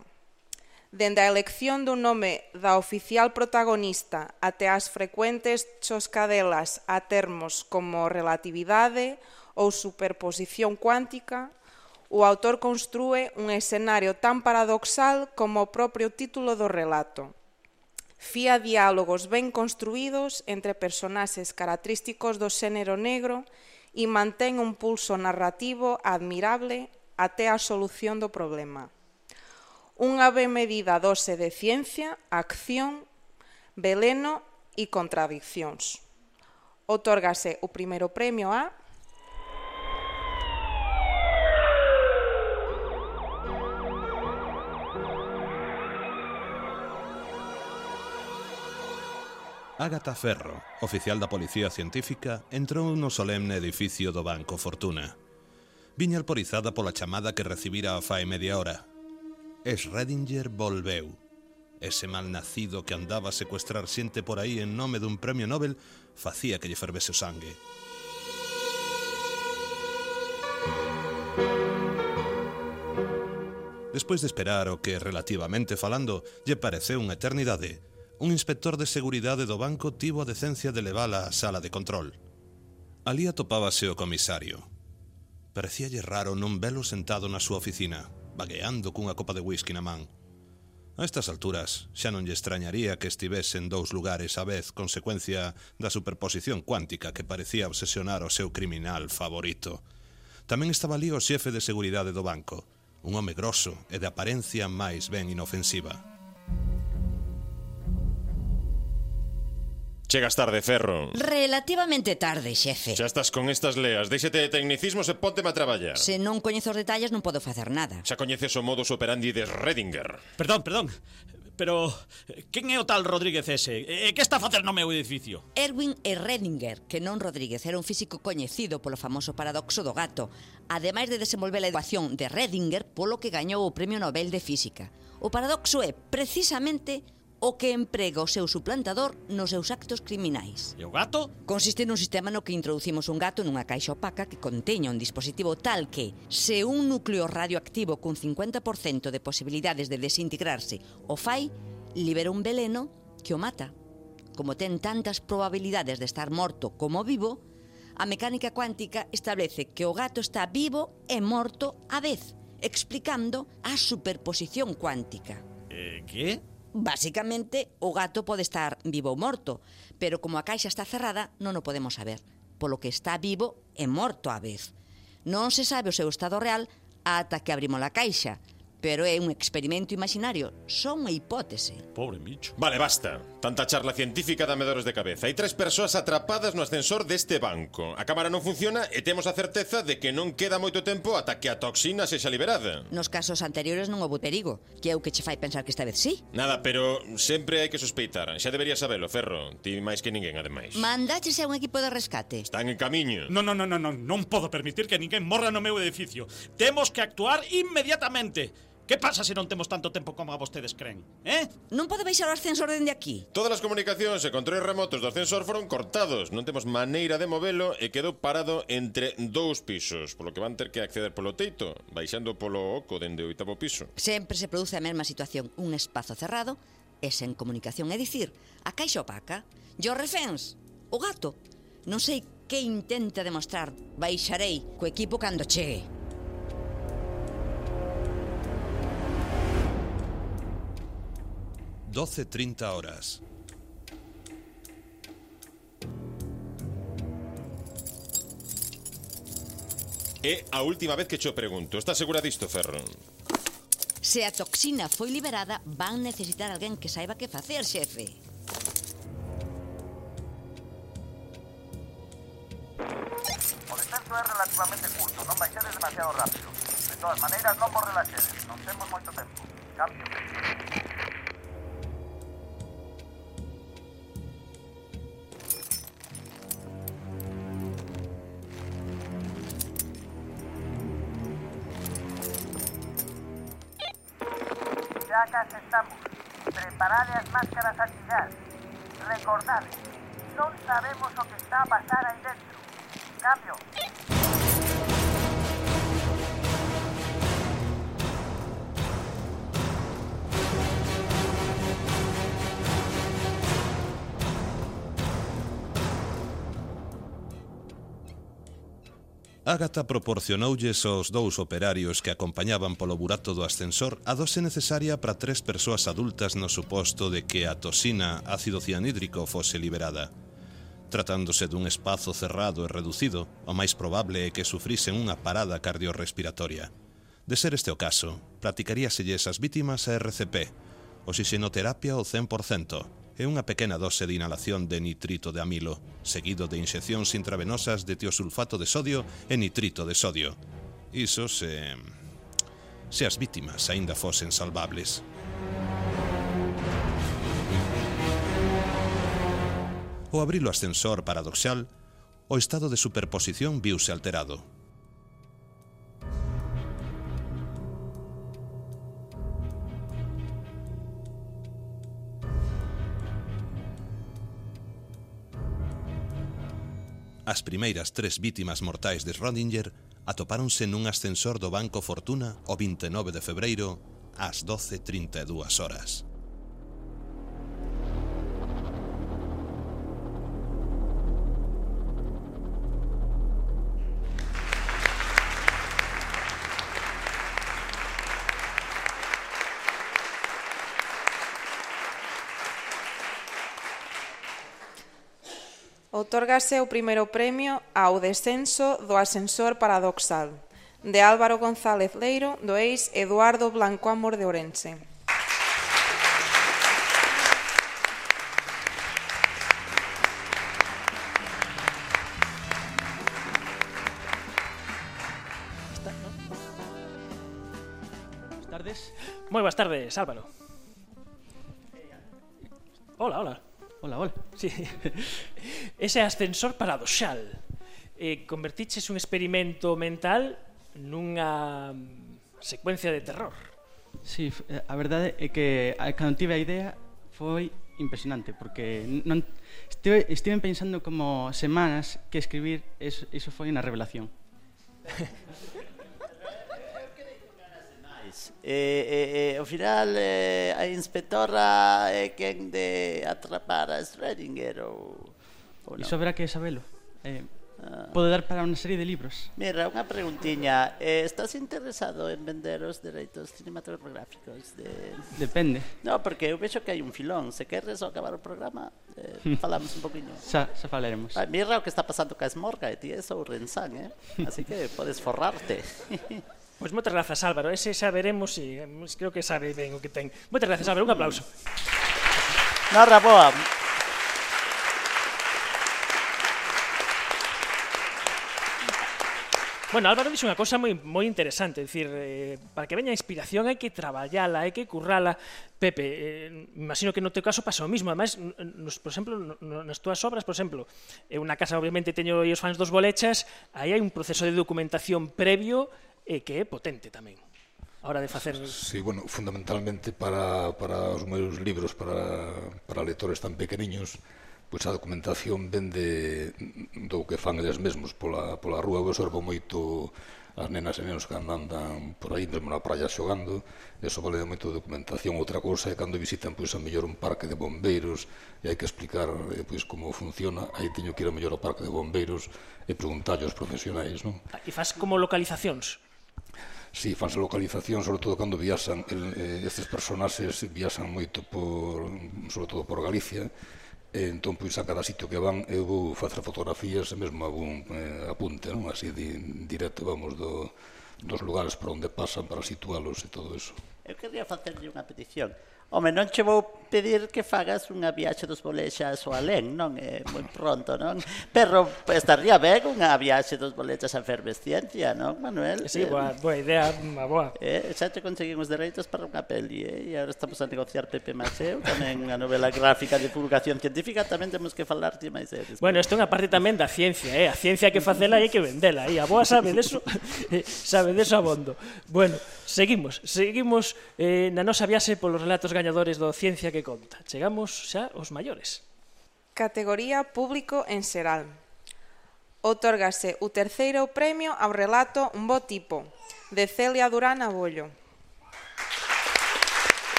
S5: Dende a elección dun nome da oficial protagonista até as frecuentes choscadelas a termos como relatividade ou superposición cuántica, o autor construe un escenario tan paradoxal como o propio título do relato. Fía diálogos ben construídos entre personaxes característicos do xénero negro e mantén un pulso narrativo admirable até a solución do problema. Unha ben medida dose de ciencia, acción, veleno e contradiccións. Outórgase o primeiro premio a
S12: Ágata Ferro, oficial da Policía Científica, entrou no solemne edificio do Banco Fortuna. Viña alporizada pola chamada que recibira a fai media hora. Schrödinger volveu. Ese malnacido que andaba a secuestrar xente por aí en nome dun premio Nobel facía que lle fervese o sangue. Despois de esperar o que, relativamente falando, lle pareceu unha eternidade, un inspector de seguridade do banco tivo a decencia de levala á sala de control. Alí atopábase o comisario. Parecíalle raro non velo sentado na súa oficina, vagueando cunha copa de whisky na man. A estas alturas xa non lle extrañaría que estivese en dous lugares á vez, consecuencia da superposición cuántica que parecía obsesionar o seu criminal favorito. Tamén estaba ali o xefe de seguridade do banco, un home grosso e de aparencia máis ben inofensiva.
S13: Chegas tarde, Ferro.
S14: Relativamente tarde, xefe.
S13: Xa estás con estas leas. Déixete de tecnicismos e pónteme a traballar.
S14: Se non coñezo os detalles non podo facer nada.
S13: Xa coñeces o modus operandi de Schrödinger.
S15: Perdón. Pero, quen é o tal Rodríguez ese? E que está a facer no meu edificio?
S14: Erwin Schrödinger, que non Rodríguez, era un físico coñecido polo famoso paradoxo do gato, ademais de desenvolver a ecuación de Schrödinger polo que gañou o Premio Nobel de Física. O paradoxo é, precisamente, o que emprega o seu suplantador nos seus actos criminais.
S15: E o gato?
S14: Consiste nun sistema no que introducimos un gato nunha caixa opaca que conteña un dispositivo tal que, se un núcleo radioactivo cun 50% de posibilidades de desintegrarse o fai, libera un veleno que o mata. Como ten tantas probabilidades de estar morto como vivo, a mecánica cuántica establece que o gato está vivo e morto á vez, explicando a superposición cuántica.
S15: Que?
S14: Básicamente, o gato pode estar vivo ou morto, pero como a caixa está cerrada, non o podemos saber, polo que está vivo e morto á vez. Non se sabe o seu estado real ata que abrimos a caixa, pero é un experimento imaginario, só unha hipótese.
S13: Pobre bicho. Vale, basta. Tanta charla científica dame dores de cabeza. Hai 3 persoas atrapadas no ascensor deste banco. A cámara non funciona e temos a certeza de que non queda moito tempo ata que a toxina sexa liberada.
S14: Nos casos anteriores non houbo perigo, que é o que che fai pensar que esta vez sí.
S13: Nada, pero sempre hai que sospeitar. Xa deberías sabelo, Ferro. Ti máis que ninguén, ademais.
S14: Mandaches a un equipo de rescate.
S13: Están en camiño.
S15: Non podo permitir que ninguén morra no meu edificio. Temos que actuar inmediatamente. Que pasa se non temos tanto tempo como a vostedes creen?
S14: Non pode baixar o ascensor dende aquí?
S13: Todas as comunicacións e controles remotos do ascensor foron cortados. Non temos maneira de movelo e quedou parado entre 2 pisos, polo que van ter que acceder polo teito, baixando polo oco dende o 8º piso.
S14: Sempre se produce a mesma situación, un espazo cerrado e sen comunicación, é dicir, a caixa opaca. E os reféns, o gato. Non sei que intenta demostrar. Baixarei co equipo cando chegue.
S12: $12:30.
S13: É a última vez que cho pregunto. Estás segura disto, Ferro?
S14: Se a toxina foi liberada, van necesitar alguén que saiba que facer, xefe.
S16: O descenso é relativamente curto, non baixades demasiado rápido. De todas maneiras, non vos relaxedes, non temos moito tempo. Cambio. Ya casi estamos. Preparade as máscaras antigas. Recordade, non sabemos o que está a pasar aí dentro. Cambio.
S12: Ágata proporcionoulles aos 2 operarios que acompañaban polo burato do ascensor a dose necesaria para 3 persoas adultas no suposto de que a toxina ácido cianhídrico fose liberada. Tratándose dun espazo cerrado e reducido, o máis probable é que sufrisen unha parada cardiorrespiratoria. De ser este o caso, practicaríaselles as vítimas a RCP, oxixenoterapia ao 100%, e unha pequena dose de inhalación de nitrito de amilo, seguido de inxeccións intravenosas de tiosulfato de sodio e nitrito de sodio. Iso se as vítimas aínda fosen salvables. Ao abrir o ascensor paradoxal, o estado de superposición viuse alterado. As primeiras 3 vítimas mortais de Schrödinger atopáronse nun ascensor do Banco Fortuna o 29 de febreiro ás 12:32 horas.
S5: Outórgase o primeiro premio ao descenso do ascensor paradoxal, de Álvaro González Leiro, do ex Eduardo Blanco Amor de Ourense.
S1: Boas tardes. Moi boas tardes, Álvaro. Hola. Sí. Ese ascensor paradoxal. Convertiches un experimento mental nunha secuencia de terror.
S17: Sí, a verdade é que cando tive a idea foi impresionante, porque estive pensando como semanas que escribir, iso foi unha revelación.
S8: Ao final a inspectora é quen de atrapar a Schrödinger ou non?
S17: Iso haberá que sabelo. Pode dar para unha serie de libros.
S8: Mira, unha preguntiña. Estás interesado en vender os dereitos cinematográficos?
S17: Depende.
S8: No, porque eu vexo que hai un filón. Se queres acabar o programa, falamos un poquinho.
S17: Xa falaremos.
S8: Mira o que está pasando ca Esmorga, e ti é Ourensán, así que podes forrarte.
S1: Pois moitas grazas, Álvaro. Ese xa veremos e creo que sabe ben o que ten. Moitas grazas, Álvaro. Un aplauso.
S8: Nora boa.
S1: Bueno, Álvaro dixo unha cosa moi interesante, é dicir, para que veña a inspiración hai que traballala, hai que currala. Pepe, imagino que no teu caso pasa o mismo, ademais, por exemplo, nas túas obras, por exemplo, unha casa, obviamente, teño os fans dos Bolechas, aí hai un proceso de documentación previo que é potente tamén, a hora de facer...
S11: Sí, bueno, fundamentalmente para os meus libros, para lectores tan pequeniños, pois a documentación vende do que fan eles mesmos pola rúa. Eu observo moito as nenas e nenos que andan por aí, mesmo na praia xogando, eso vale moito documentación. Outra cousa é cando visitan pois a mellor un parque de bombeiros e hai que explicar pois como funciona, aí teño que ir a mellor ao parque de bombeiros e preguntarlle aos profesionais, non?
S1: E faz como localizacións?
S11: Sí, fanse localización, sobre todo cando viaxan, estes personaxes viaxan moito sobre todo por Galicia. Entón, pois, a cada sitio que van eu vou facer fotografías e mesmo algún apunte, non? Así directo, vamos, dos lugares por onde pasan para situalos e todo eso.
S8: Eu quería facerlle unha petición. Home, non che vou pedir que fagas unha viaxe dos Bolechas ao alén, non? Moi pronto, non? Pero estaría ben unha viaxe dos Bolechas a Efervesciencia, non, Manuel?
S1: Sí, boa idea, boa.
S8: Xa te conseguimos dereitos para unha peli, e agora estamos a negociar Pepe Maceo, tamén unha novela gráfica de divulgación científica, tamén temos que falar de máis deles.
S1: Bueno, isto é unha parte tamén da ciencia, a ciencia hai que facela e hai que vendela, a boa sabe deso, sabe deso abondo. Bueno, seguimos na nosa viaxe polos relatos gañadores do Ciencia que Conta. Chegamos xa aos maiores.
S5: Categoría Público en Xeral. Otórgase o terceiro premio ao relato Un bo tipo, de Celia Durán Abollo.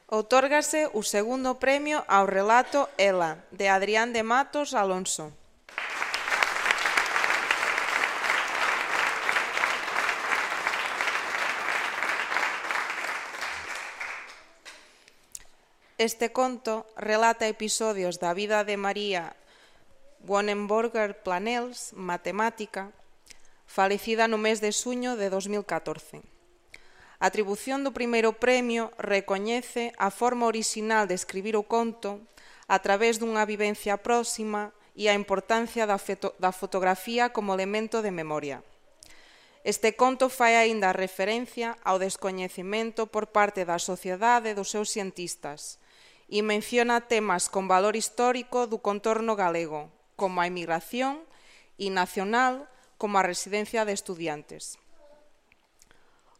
S5: Otórgase o segundo premio ao relato Ela, de Adrián de Matos Alonso. Este conto relata episodios da vida de María Wonenborger Planels, matemática, falecida no mes de xuño de 2014. A atribución do primeiro premio recoñece a forma orixinal de escribir o conto a través dunha vivencia próxima e a importancia da fotografía como elemento de memoria. Este conto fai aínda referencia ao descoñecemento por parte da sociedade dos seus cientistas e menciona temas con valor histórico do contorno galego, como a emigración, e nacional, como a residencia de estudiantes.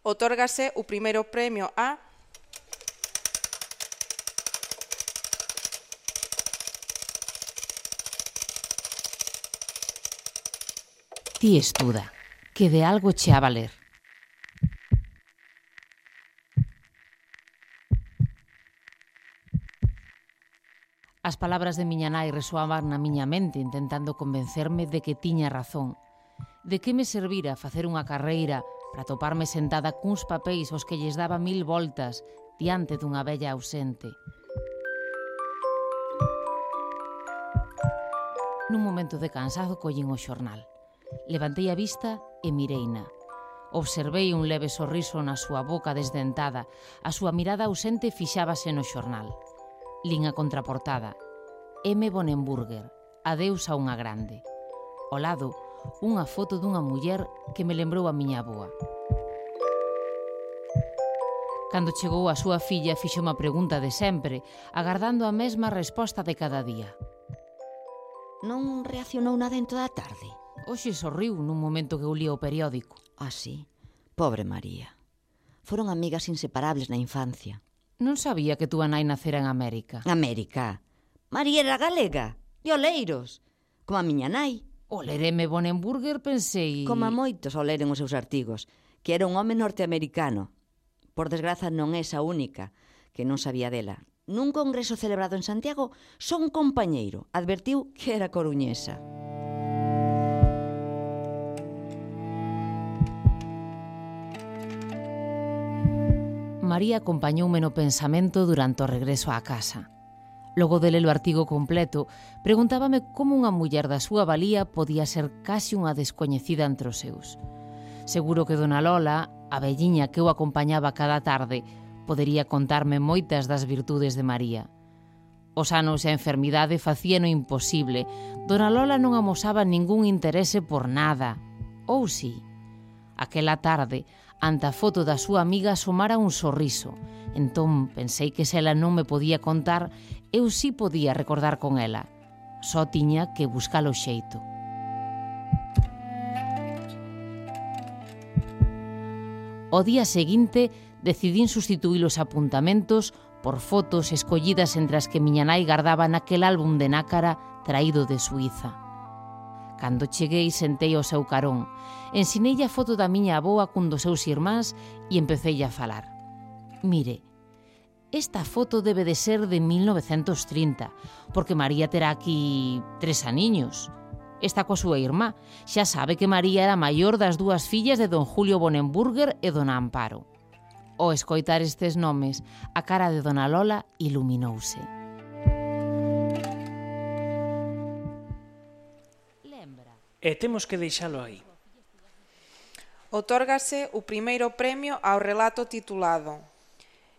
S5: Otórgase o primeiro premio a
S18: Ti estuda, que de algo che a valer. As palabras de miña nai resoaban na miña mente intentando convencerme de que tiña razón. De que me servira facer unha carreira para toparme sentada cuns papéis aos que lles daba 1000 voltas diante dunha vella ausente. Nun momento de cansado collín o xornal. Levantei a vista e mireina. Observei un leve sorriso na súa boca desdentada. A súa mirada ausente fixábase no xornal. Lin a contraportada. M. Wonenborger, adeus a unha grande. Ao lado, unha foto dunha muller que me lembrou a miña avoa. Cando chegou a súa filla, fixo unha pregunta de sempre, agardando a mesma resposta de cada día.
S14: Non reaccionou nada en toda a tarde?
S18: Hoxe sorriu nun momento que eu lía o periódico.
S14: Ah, sí? Pobre María. Foron amigas inseparables na infancia.
S18: Non sabía que túa nai nacera en América.
S14: América? María era galega, de Oleiros, como a miña nai.
S18: O lereme Bonenburger pensei...
S14: Como a moitos ao leren os seus artigos, que era un home norteamericano. Por desgraza non é esa única que non sabía dela. Nun congreso celebrado en Santiago, só un compañeiro advertiu que era coruñesa.
S18: María acompañoume no pensamento durante o regreso á casa. Logo de ler o artigo completo, preguntábame como unha muller da súa valía podía ser case unha descoñecida entre os seus. Seguro que dona Lola, a velliña que eu acompañaba cada tarde, podería contarme moitas das virtudes de María. Os anos e a enfermidade facían o imposible. Dona Lola non amosaba ningún interese por nada. Ou si? Aquela tarde, ante a foto da súa amiga asomara un sorriso. Entón pensei que se ela non me podía contar, eu si podía recordar con ela. Só tiña que buscar o xeito. O día seguinte decidín sustituir os apuntamentos por fotos escollidas entre as que miña nai gardaba naquel álbum de nácara traído de Suíza. Cando cheguei, sentei ao seu carón. Ensinei a foto da miña avoa cun dos seus irmáns e empecei a falar. Mire, esta foto debe de ser de 1930, porque María terá aquí 3 aniños. Está coa súa irmá. Xa sabe que María era a maior das dúas fillas de don Julio Bonenburger e dona Amparo. Ao escoitar estes nomes, a cara de dona Lola iluminouse.
S1: E temos que deixalo aí.
S5: Otórgase o primeiro premio ao relato titulado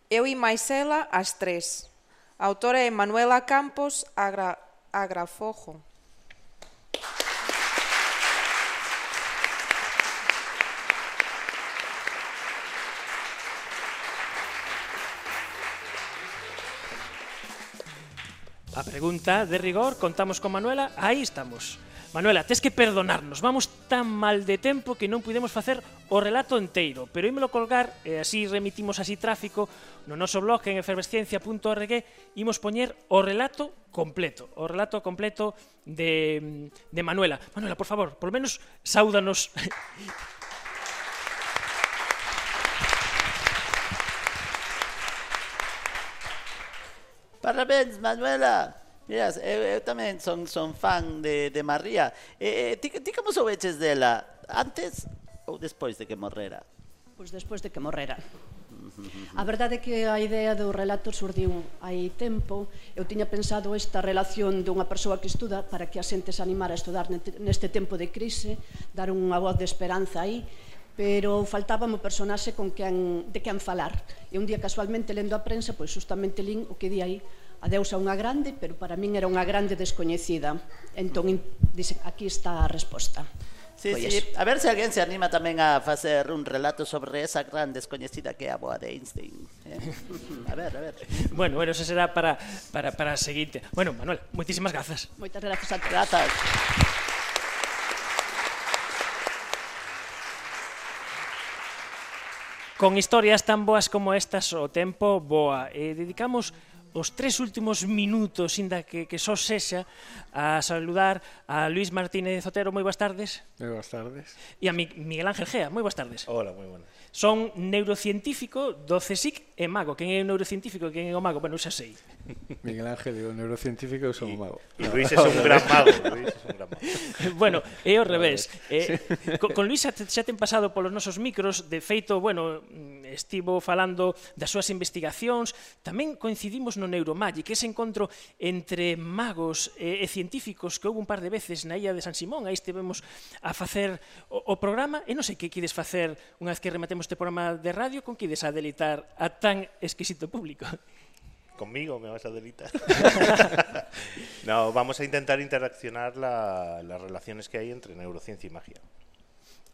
S5: Eu e máis ela as tres. A autora é Manuela Campos Agrafojo.
S1: A pregunta de rigor, contamos con Manuela, aí estamos. Manuela, tes que perdonarnos, vamos tan mal de tempo que non pudemos facer o relato enteiro, pero ímelo colgar, e así remitimos así tráfico, no noso blog en efervesciencia.org, imos poñer o relato completo de Manuela. Manuela, por favor, por lo menos, sáudanos.
S8: Parabéns, Manuela. Miras, eu tamén son fan de María. Ti como soubeches dela? Antes ou despois de que morrera?
S19: Pois despois de que morrera. A verdade é que a idea do relato surdiu hai tempo. Eu tiña pensado esta relación dunha persoa que estuda para que a xente se animara a estudar neste tempo de crise, dar unha voz de esperanza aí, pero faltábame o personaxe de quen falar. E un día casualmente lendo a prensa, pois justamente lín o que di aí, adeus a unha grande, pero para min era unha grande descoñecida. Entón, dice, aquí está a resposta.
S8: Sí, sí. A ver se alguén se anima tamén a facer un relato sobre esa gran descoñecida que é a boa de Einstein. A ver.
S1: Bueno, eso será para a seguinte. Bueno, Manuel, moitísimas grazas.
S19: Moitas grazas a todos.
S8: Grazas.
S1: Con historias tan boas como estas, o tempo voa. Dedicamos os 3 últimos minutos, inda que só sexa, a saludar a Luis Martínez Otero. Moi boas tardes.
S20: Moi boas tardes.
S1: E a Miguel Ángel Gea. Moi boas tardes.
S20: Hola, moi buenas.
S1: Son neurocientífico do CSIC e mago. Quen é o neurocientífico e quen é o mago? Bueno, xa sei.
S20: Miguel Ángel é o neurocientífico e eu son o mago.
S21: E Luis é un gran mago.
S1: Bueno, é ao revés. Con Luis xa ten pasado polos nosos micros. De feito, bueno, estivo falando das súas investigacións. Tamén coincidimos no Neuromagic, ese encontro entre magos e científicos que houve un par de veces na illa de San Simón. Aí estivemos a facer o programa. E non sei que quides facer unha vez que rematemos este programa de radio, con que ides a delitar a tan exquisito público.
S21: Conmigo me vas a delitar. No, vamos a intentar interaccionar las relaciones que hay entre neurociencia y magia.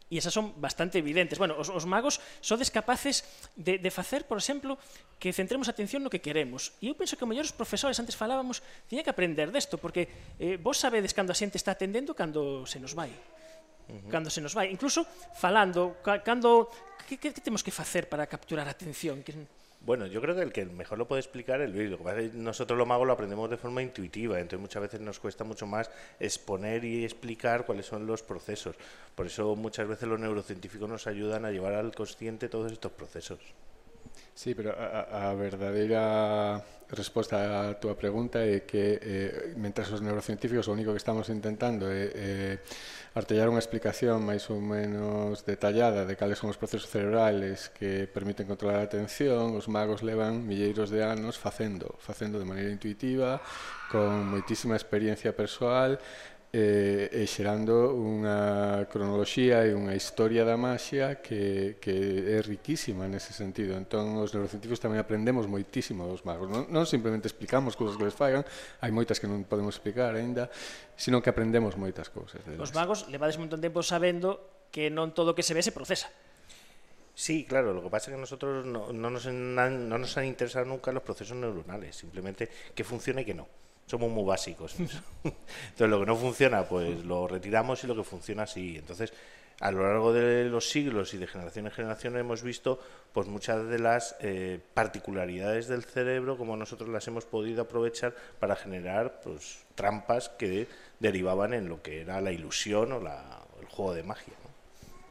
S1: E esas son bastante evidentes. Bueno, os magos sodes capaces de facer, por exemplo, que centremos a atención no que queremos. E eu penso que o mellor os profesores, antes falábamos, tiña que aprender desto, porque vos sabedes cando a xente está atendendo cando se nos vai. cando se nos vai. Incluso falando, cando que temos que facer para capturar a atención?
S21: Bueno, yo creo que el que mejor lo puede explicar es Luis. Lo que pasa es que nosotros los magos lo aprendemos de forma intuitiva, entonces muchas veces nos cuesta mucho más exponer y explicar cuáles son los procesos. Por eso muchas veces los neurocientíficos nos ayudan a llevar al consciente todos estos procesos.
S20: Sí, pero a verdadeira resposta á túa pregunta é que mentras os neurocientíficos o único que estamos intentando é artellar unha explicación máis ou menos detallada de cales son os procesos cerebrales que permiten controlar a atención, os magos levan milleiros de anos facendo de maneira intuitiva, con moitísima experiencia persoal, e xerando unha cronoloxía e unha historia da maxia que é riquísima nese sentido. Entón, os neurocientíficos tamén aprendemos moitísimo dos magos. Non simplemente explicamos cousas que les fagan, hai moitas que non podemos explicar aínda, sino que aprendemos moitas cousas.
S1: Os magos levades un montón de tempo sabendo que non todo o que se ve se procesa.
S21: Sí, claro, lo que pasa es que a nosotros no nos han interesado nunca los procesos neuronales, simplemente que funciona y que no. Somos muy básicos. Entonces, lo que no funciona, pues lo retiramos y lo que funciona, sí. Entonces, a lo largo de los siglos y de generación en generación hemos visto pues muchas de las particularidades del cerebro, como nosotros las hemos podido aprovechar para generar pues trampas que derivaban en lo que era la ilusión o el juego de magia, ¿no?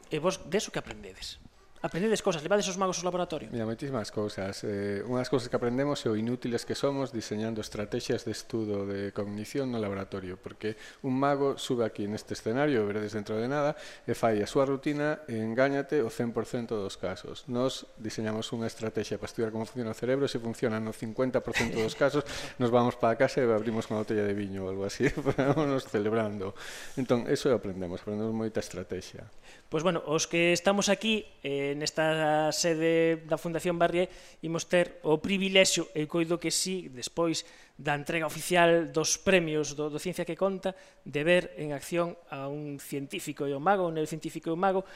S1: E vos de eso que aprendedes? Aprendedes cosas, levades os magos ao laboratorio?
S20: Mira, moitísimas cousas. Unhas cousas que aprendemos é o inútiles que somos diseñando estrategias de estudo de cognición no laboratorio, porque un mago sube aquí neste escenario, veredes dentro de nada, e fai a súa rutina e engáñate o 100% dos casos. Nos diseñamos unha estrategia para estudiar como funciona o cerebro, e se funciona no 50% dos casos, nos vamos para casa e abrimos unha botella de viño ou algo así, vámonos celebrando. Entón, eso aprendemos moita estrategia.
S1: Pois, bueno, os que estamos aquí nesta sede da Fundación Barrié imos ter o privilexio, e coido que sí, despois da entrega oficial dos premios do Ciencia que Conta, de ver en acción a un científico e un mago, un neurocientífico e un mago,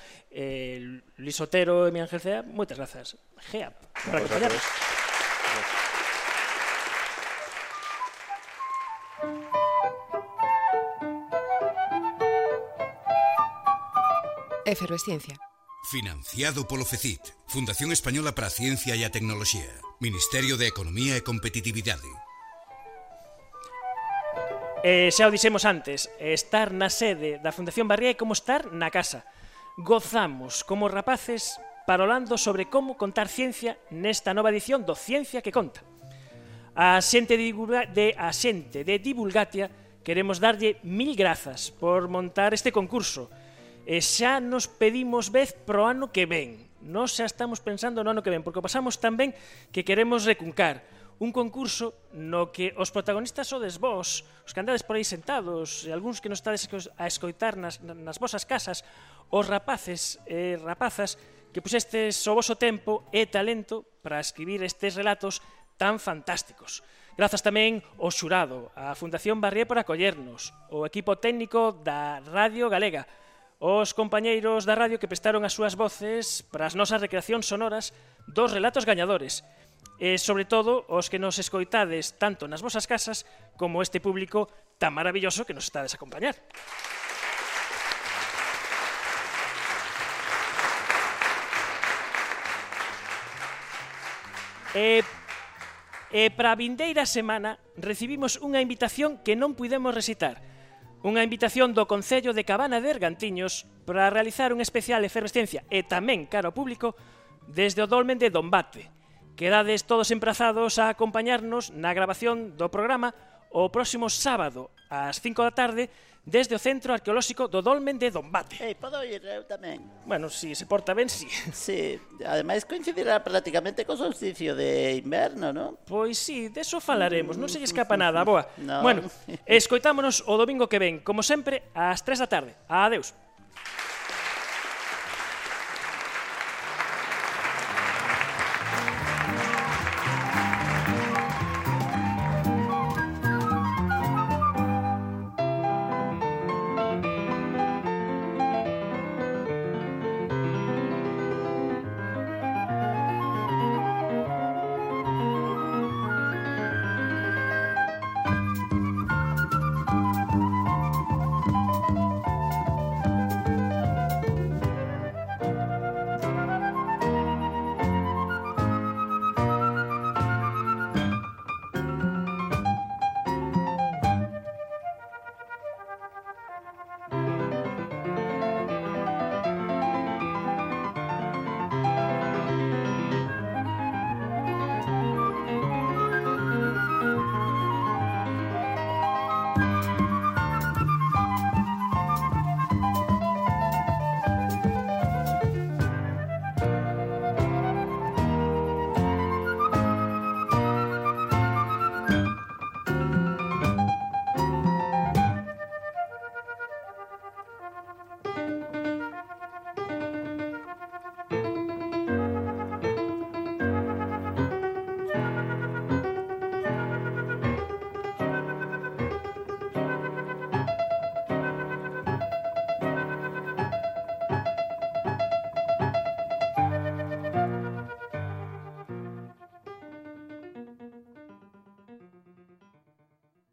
S1: Luis Otero e mi Ángel Cea. Moitas grazas, Gea, por acompañarnos.
S3: Efervesciencia.
S4: Financiado polo FECIT, Fundación Española para a Ciencia e a Tecnoloxía, Ministerio de Economía e Competitividade.
S1: Xa o dixemos antes, estar na sede da Fundación Barrié é como estar na casa. Gozamos como rapaces parolando sobre como contar ciencia nesta nova edición do Ciencia que Conta. A xente de Divulgatia queremos darlle 1000 grazas por montar este concurso. E xa nos pedimos vez pro ano que ven. Nos xa estamos pensando no ano que ven, porque pasamos tan ben que queremos recuncar un concurso no que os protagonistas sodes vós, os que andades por aí sentados, e algúns que nos estades a escoitar nas vosas casas, os rapaces e rapazas que puxestes o voso tempo e talento para escribir estes relatos tan fantásticos. Grazas tamén ao xurado, á Fundación Barrié por acollernos, ao equipo técnico da Radio Galega, os compañeiros da radio que prestaron as súas voces para as nosas recreacións sonoras dos relatos gañadores, e, sobre todo, os que nos escoitades tanto nas vosas casas como este público tan maravilloso que nos estades a acompañar. E para a vindeira semana recibimos unha invitación que non puidemos recitar. Unha invitación do Concello de Cabana de Ergantiños para realizar un especial efervescencia e tamén cara ao público desde o dolmen de Dombate. Quedades todos emprazados a acompañarnos na grabación do programa o próximo sábado ás 5 da tarde desde o Centro Arqueolóxico do Dolmen de Dombate.
S8: Podo ir eu tamén?
S1: Bueno, si se porta ben, si.
S8: Sí, ademais coincidirá prácticamente co solsticio de inverno, non?
S1: Pois sí, deso falaremos, non se lle escapa nada, boa.
S8: No.
S1: Bueno, escoitámonos o domingo que ven, como sempre, ás 3 da tarde. Adeus.